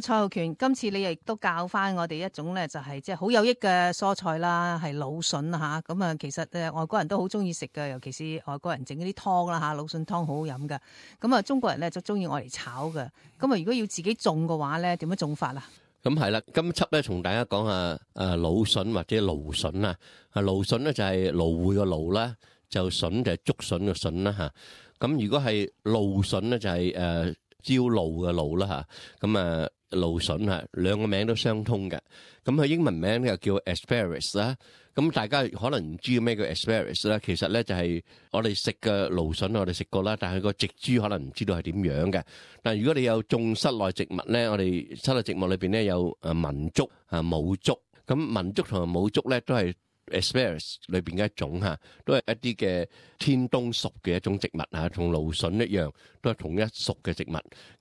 蔡浩權，今次你亦都教翻我哋一種咧，就係即係好有益嘅蔬菜啦，係蘆筍嚇。咁啊，其實外國人都好中意食嘅，尤其是外國人整嗰啲湯啦嚇，蘆筍湯好好飲嘅。咁啊，中國人咧就中意愛嚟炒嘅。咁啊，如果要自己種嘅話咧，點樣種法啊？咁係啦，今輯咧同大家講下蘆筍或者蘆筍啊。蘆筍咧就係蘆薈個蘆啦，就筍就係竹筍個筍啦嚇。咁如果係蘆筍咧就係朝露嘅露啦嚇。咁蘆筍嚇兩個名都相通嘅。咁佢英文名又叫 asparagus 啦。咁大家可能唔知咩叫 asparagus 啦，其實咧就係我哋食嘅蘆筍，我哋食過啦，但係個植株可能唔知道係點樣嘅。但係如果你有種室內植物咧，我哋室內植物裏邊咧有文竹母竹。咁文竹同埋母竹咧都係 asparagus 裏邊嘅一種嚇，都係一啲嘅天冬屬嘅一種植物嚇，同蘆筍一樣，都係同一屬嘅植物。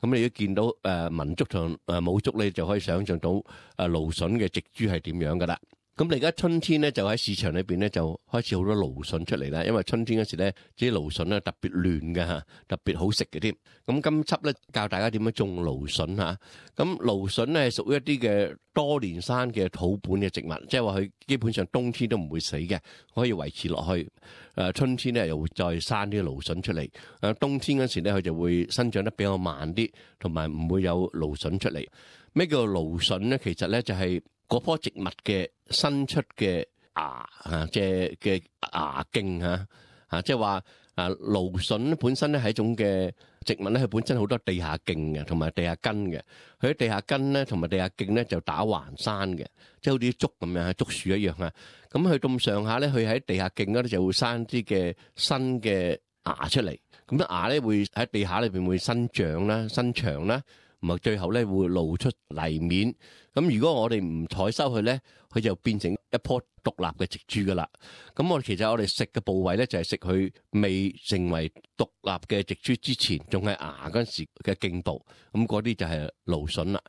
咁你都見到文竹同母竹，你就可以想像到蘆筍嘅植株係點樣噶啦。咁你而家春天咧，就喺市場裏邊咧就開始好多蘆筍出嚟啦。因為春天嗰時咧，啲蘆筍咧特別嫩嘅嚇，特別好食嘅添。咁今輯咧教大家點樣種蘆筍嚇。咁蘆筍咧係屬於一啲嘅多年生嘅土本嘅植物，即係話佢基本上冬天都唔會死嘅，可以維持落去。春天咧又會再生啲蘆筍出嚟。冬天嗰時咧佢就會生長得比較慢啲，同埋唔會有蘆筍出嚟。咩叫蘆筍咧？其實咧就係嗰棵植物嘅新出嘅芽即係嘅芽莖即係話蘆筍本身咧係一種嘅植物咧，佢本身好多地下莖嘅，同埋地下根嘅。佢喺地下根咧，同埋地下莖咧就打橫生嘅，即係好似竹咁樣，竹樹一樣啊。咁佢咁上下咧，佢喺地下莖嗰度就會生啲嘅新嘅芽出嚟。咁啲芽咧會喺地下裏邊會生長啦、生長啦。咁啊，最後咧會露出泥面。咁如果我哋唔採收佢咧，佢就變成一棵獨立嘅植株噶啦。咁其實我哋食嘅部位咧，就係食佢未成為獨立嘅植株之前，仲係芽嗰陣時嘅莖部。咁嗰啲就係蘆筍啦。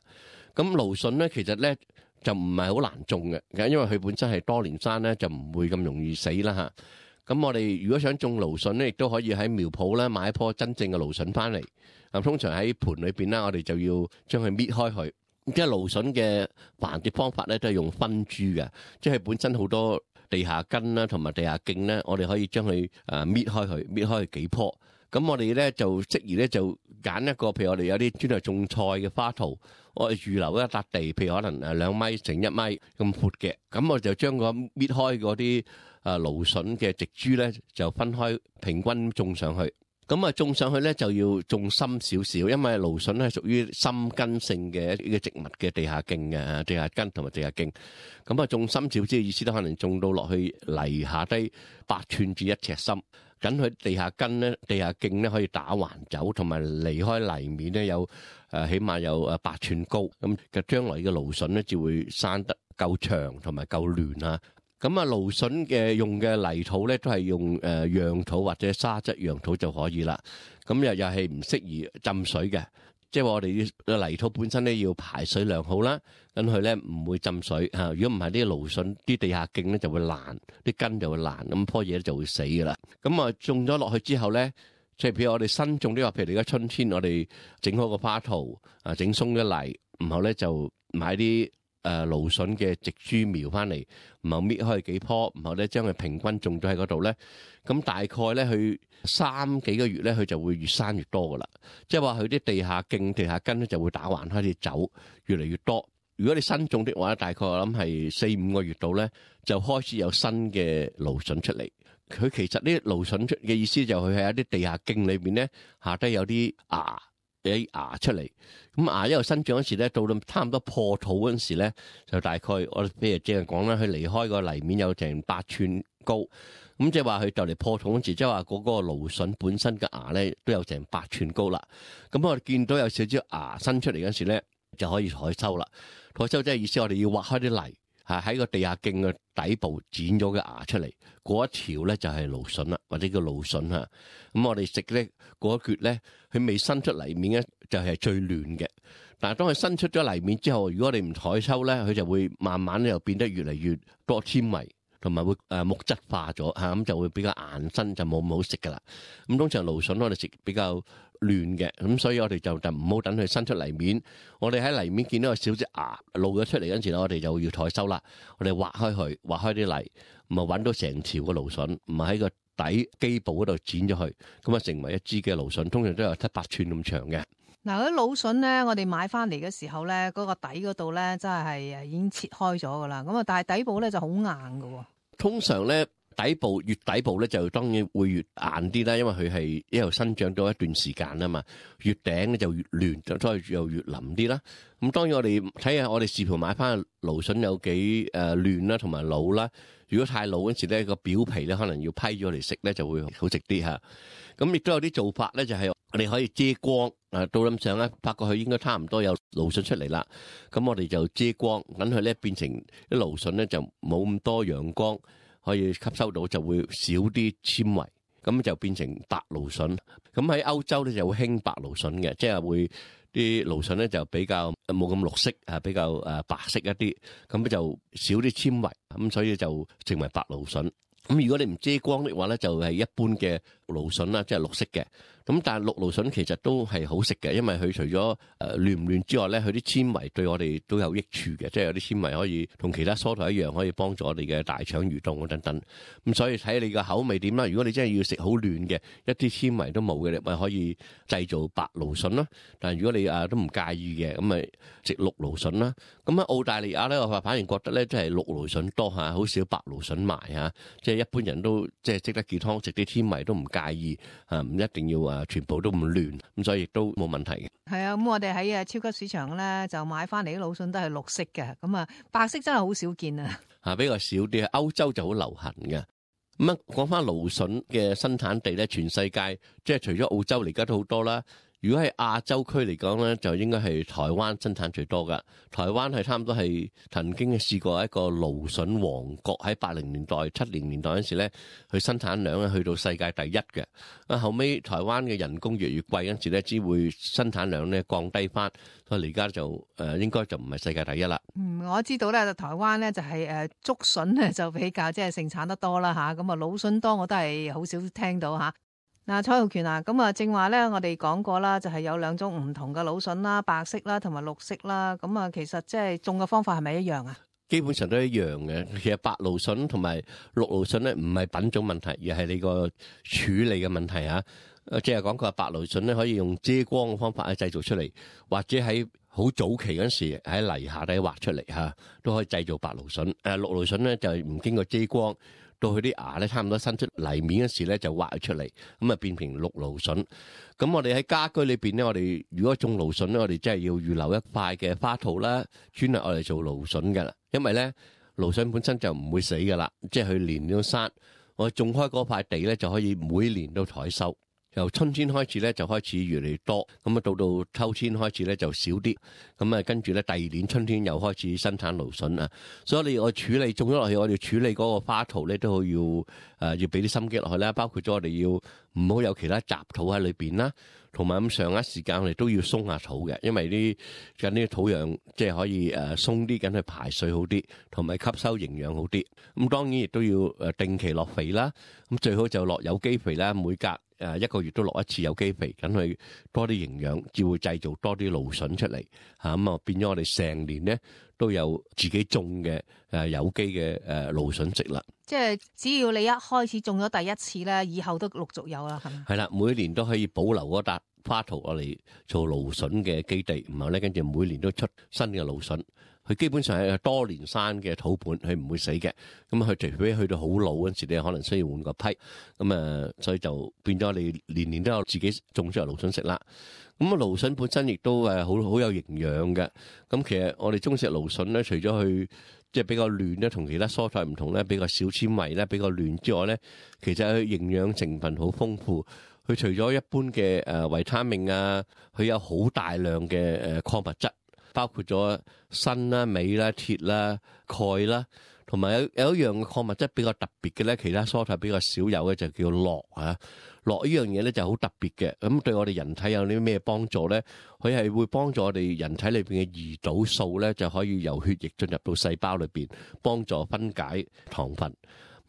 咁蘆筍咧，其實咧就唔係好難種嘅，因為佢本身係多年生咧，就唔會咁容易死啦嚇。咁我哋如果想種蘆筍咧，亦都可以喺苗圃咧買一棵真正嘅蘆筍翻嚟。通常喺盆裏邊啦，我哋就要將佢搣開佢。即係蘆筍嘅繁殖方法咧，都係用分株嘅，即係本身好多地下根啦，同埋地下莖咧，我哋可以將佢搣開佢，搣開幾棵。咁我哋咧就適宜咧就揀一個，譬如我哋有啲專係種菜嘅花圃，我哋預留一笪地，譬如可能2米乘1米咁闊嘅，咁我就將個搣開嗰啲蘆筍嘅植株咧，就分開平均種上去。咁種上去咧就要種深少少，因為蘆筍係屬於深根性嘅一個植物嘅地下莖嘅，地下根同埋地下莖。咁種深少少嘅意思都可能種到落去泥下低8寸至1尺深。咁佢地下根咧、地下莖咧可以打橫走，同埋離開泥面咧有起碼有8寸高。咁嘅將來嘅蘆筍咧就會生得夠長同埋夠嫩啊！咁蘆筍嘅用嘅泥土咧，都係用壤土或者沙質壤土就可以啦。咁又係唔適宜浸水嘅，即係話我哋嘅泥土本身咧要排水良好啦，咁佢咧唔會浸水嚇。如果唔係啲蘆筍啲地下莖咧就會爛，啲根就會爛，咁棵嘢就會死噶啦。咁種咗落去之後咧，即係譬如我哋新種啲話，譬如而家春天我哋整好個花圃整鬆咗泥，然後咧就買啲蘆筍嘅植株苗翻嚟，然後搣開幾棵，然後咧將佢平均種咗喺嗰度咧，咁大概咧佢3幾個月咧，佢就會越生越多噶啦。即係話佢啲地下莖、地下根咧就會打橫開始走，越嚟越多。如果你新種的話，大概我諗係4-5個月度咧，就開始有新嘅蘆筍出嚟。佢其實呢蘆筍出嘅意思就係佢喺一啲地下莖裏邊咧，下低有啲芽。有啲芽出嚟，咁芽一路生長嗰時咧，到差唔多破土嗰陣時咧，就大概我譬如正係講啦，佢離開個泥面有成8寸高，咁即係話佢就嚟破土嗰時，即係話嗰個蘆筍本身嘅芽咧都有成8寸高啦。咁我哋見到有少少芽生出嚟嗰時咧，就可以採收啦。採收即係意思，我哋要挖開啲泥，喺個地下莖嘅底部剪咗嘅芽出嚟，嗰一條咧就係蘆筍啦，或者叫蘆筍嚇。咁我哋食咧嗰一橛咧，佢未伸出泥面咧就係最嫩嘅。但係當佢伸出咗泥面之後，如果你唔採收咧，佢就會慢慢又變得越嚟越多纖維，同埋會木質化咗嚇，咁就會比較硬身，就冇咁好食噶啦。咁通常蘆筍我哋食比較嫩嘅，咁所以我哋就唔好等佢伸出泥面。我哋喺泥面見到有少隻芽露咗出嚟嗰陣時咧，我哋就要採收啦。我哋挖開佢，挖開啲泥，唔係揾到成條嘅蘆筍，唔係喺個底基部嗰度剪咗佢，咁啊成為一支嘅蘆筍，通常都有7-8寸咁長嘅。嗱，嗰啲蘆筍咧，我哋買翻嚟嘅時候咧，嗰個底嗰度咧，真係已經切開咗噶啦。咁啊，但係底部咧就好硬噶。通常咧底部越底部咧就當然會越硬啲啦，因為佢係一路生長咗一段時間啊嘛。越頂咧就越嫩，所以又越腍啲啦。咁當然我哋睇下我哋視乎買翻蘆筍有幾嫩啦，同埋老啦。如果太老嗰時咧，個表皮咧可能要批咗嚟食咧，就會好食啲嚇。咁亦都有啲做法咧，就係我哋可以遮光。到咁上咧，發覺佢應該差唔多有蘆筍出嚟啦。咁我哋就遮光，等佢咧變成啲蘆筍咧就冇咁多陽光可以吸收到，就會少啲纖維，咁就變成白蘆筍。咁喺歐洲咧就會興白蘆筍嘅，即係會啲蘆筍咧就比較冇咁綠色啊，比較白色一啲，咁就少啲纖維，咁所以就成為白蘆筍。咁如果你唔遮光的話咧，就係一般嘅蘆筍啦，即係綠色嘅。咁但係綠蘆筍其實都係好食嘅，因為佢除咗嫩唔嫩之外咧，佢啲纖維對我哋都有益處嘅，即係有啲纖維可以同其他蔬菜一樣，可以幫助我哋嘅大腸蠕動等等。咁所以睇你個口味點啦。如果你真係要食好嫩嘅，一啲纖維都冇嘅，你咪可以製造白蘆筍咯。但係如果你都唔介意嘅，咁咪食綠蘆筍啦。咁喺澳大利亞咧，我反而覺得咧，即係綠蘆筍多嚇，好少白蘆筍賣嚇。即係一般人都即係食得健康，食啲纖維都唔介意嚇，唔一定要全部都咁嫩，咁所以亦都冇問題嘅。係啊，咁我哋喺超級市場咧就買翻嚟啲蘆筍都係綠色嘅，咁啊白色真係好少見啊。比較少啲，歐洲就好流行嘅。咁啊，講翻蘆筍嘅生產地咧，全世界即係除咗澳洲嚟，而家都好多啦。如果係亞洲區嚟講咧，就應該係台灣生產最多噶。台灣係差唔多係曾經試過一個蘆筍王國，喺80年代、70年代嗰時咧，佢生產量咧去到世界第一嘅。啊，後尾台灣嘅人工越嚟越貴嗰時咧，只會生產量咧降低翻，所以而家就應該就唔係世界第一啦。我知道咧，台灣咧就係竹筍咧就比較即係盛產得多啦嚇，咁啊蘆筍多我都係好少聽到嚇。嗱，蔡浩權啊，咁啊正話咧，我哋講過啦，就係有2種唔同嘅蘆筍啦，白色啦同埋綠色啦。咁啊，其實即係種嘅方法係咪一樣啊？基本上都一樣嘅。其實白蘆筍同埋綠蘆筍咧，唔係品種問題，而係你個處理嘅問題啊。即係講佢話白蘆筍咧，可以用遮光嘅方法去製造出嚟，或者喺好早期嗰時喺泥下底挖出嚟嚇，都可以製造白蘆筍。綠蘆筍咧就係唔經過遮光。到佢啲芽咧，差唔多伸出泥面嗰時咧，就挖佢出嚟，咁啊變成綠蘆筍。咁我哋喺家居裏邊咧，我哋如果種蘆筍咧，我哋真係要預留一塊嘅花土啦，專係我哋做蘆筍噶啦。因為咧蘆筍本身就唔會死噶啦，即係佢年年都生。我種開嗰塊地咧，就可以每年都採收。由春天開始咧，就開始越嚟越多，咁啊到秋天開始咧就少啲，咁啊跟住咧第2年春天又開始生產蘆筍啊，所以我處理種咗落去，我哋處理嗰個花土咧都要俾啲心機落去啦，包括咗我哋要唔好有其他雜土喺裏邊啦，同埋咁上一時間我哋都要鬆下土嘅，因為啲土壤即係可以鬆啲，緊去排水好啲，同埋吸收營養好啲。咁當然亦都要定期落肥啦，咁最好就落有機肥啦，每隔1個月都落一次有機肥，等佢多啲營養，至會製造多啲蘆筍出嚟嚇。咁啊變咗我哋成年咧都有自己種嘅有機嘅蘆筍食啦。即係只要你一開始種咗第一次咧，以後都陸續有啦，係咪？係啦，每年都可以保留嗰笪花土我嚟做蘆筍嘅基地，然後咧跟住每年都出新嘅蘆筍。佢基本上係多年生嘅土本，佢唔會死嘅。咁佢除非去到好老嗰陣時，你可能需要換個批。咁所以就變咗你年年都有自己種出嚟蘆筍食啦。咁啊，蘆筍本身亦都好有營養嘅。咁其實我哋中式蘆筍咧，除咗佢即係比較嫩咧，同其他蔬菜唔同咧，比較少纖維咧，比較嫩之外咧，其實佢營養成分好豐富。佢除咗一般嘅維他命啊，佢有好大量嘅礦物質。包括咗鋅啦、鎂啦、鐵啦、鈣啦，同埋有一樣嘅礦物質比較特別嘅咧，其他蔬菜比較少有嘅就叫鉻啊。鉻呢樣嘢咧就好特別嘅，咁對我哋人體有啲咩幫助咧？佢係會幫助我哋人體裏邊嘅胰島素咧，就可以由血液進入到細胞裏邊，幫助分解糖分。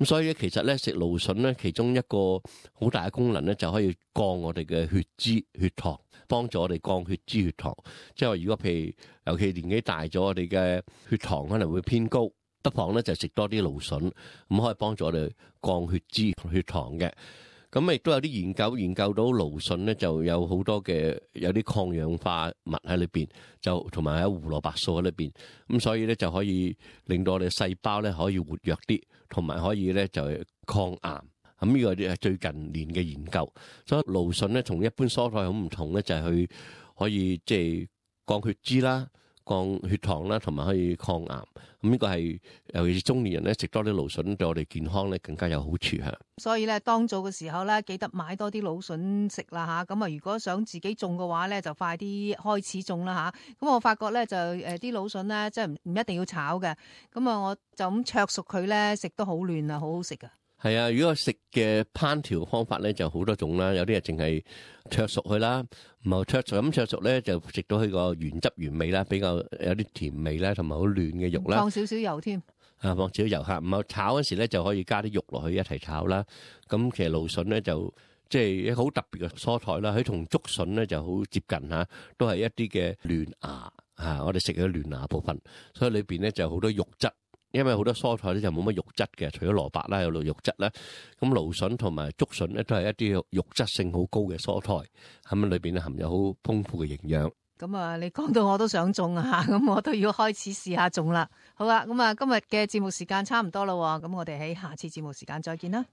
咁所以咧，其實咧食蘆筍咧，其中一個好大嘅功能咧，就可以降我哋嘅血脂、血糖，幫助我哋降血脂、血糖。即係話，如果譬如尤其年紀大咗，我哋嘅血糖可能會偏高，不妨咧就食多啲蘆筍，咁可以幫助我哋降血脂、血糖嘅。咁亦都有啲研究到蘆筍咧，就有好多嘅有啲抗氧化物喺裏邊，就同埋有胡蘿蔔素喺裏邊，咁所以咧就可以令到我哋細胞咧可以活躍啲，同埋可以咧就抗癌。咁呢個係最近年嘅研究，所以蘆筍咧同一般蔬菜好唔同咧，就係佢可以即係降血脂啦、降血糖啦，同埋可以抗癌。咁呢個係尤其是中年人咧食多啲蘆筍，對我哋健康咧更加有好處嚇。所以咧，當造嘅時候咧，記得買多啲蘆筍食啦嚇。咁啊，如果想自己種嘅話咧，就快啲開始種啦嚇。咁我發覺咧就啲蘆筍咧，即係唔一定要炒嘅。咁啊，我就咁灼熟佢咧，食都好嫩啊，好好食噶。係啊，如果食嘅烹調方法咧就好多種啦，有啲係淨係灼熟佢啦，唔係灼熟咧就食到佢個原汁原味啦，比較有啲甜味啦，同埋好嫩嘅肉啦。放少少油添。放少少油嚇，唔係炒嗰時咧就可以加啲肉落去一齊炒啦。咁其實蘆筍咧就即係一個好特別嘅蔬菜啦，佢同竹筍咧就好接近嚇，都係一啲嘅嫩芽嚇，我哋食嘅嫩芽部分，所以裏邊咧就好多肉質。因為好多蔬菜咧就冇乜肉質嘅，除咗蘿蔔啦有肉質啦，咁蘆筍同埋竹筍咧都係一啲肉質性好高嘅蔬菜，咁裏邊咧含有好豐富嘅營養。咁啊，你講到我都想種啊，咁我都要開始試下種啦。好啦，咁啊今日嘅節目時間差唔多啦，咁我哋喺下次節目時間再見啦。